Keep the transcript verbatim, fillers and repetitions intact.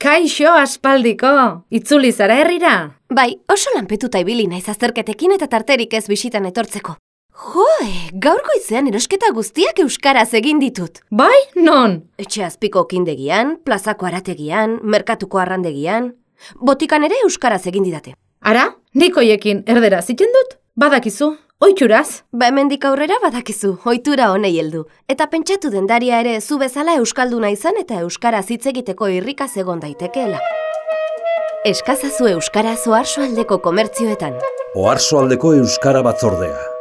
Kaixo aspaldiko, itzuli zara herrira? Bai, oso lanpetuta ibili naiz azterketekin eta tarterik ez bisitan etortzeko. Joe, gaur goizean erosketa guztiak euskaraz egin ditut. Bai, non? Etxe azpiko kindegian, plazako arategian, merkatuko arrandegian. Botikan ere euskaraz egin didate. Ara, nik hoiekin erderaz iten dut? Badakizu, ohituraz. Ba hemendik aurrera badakizu, ohitura honei heldu. Eta pentsatu dendaria ere zu bezala euskalduna izan eta euskaraz hitz egiteko irrikaz egon daitekeela. Eskazazu euskaraz Oarsoaldeko komertzioetan. Oarsoaldeko Euskara Batzordea.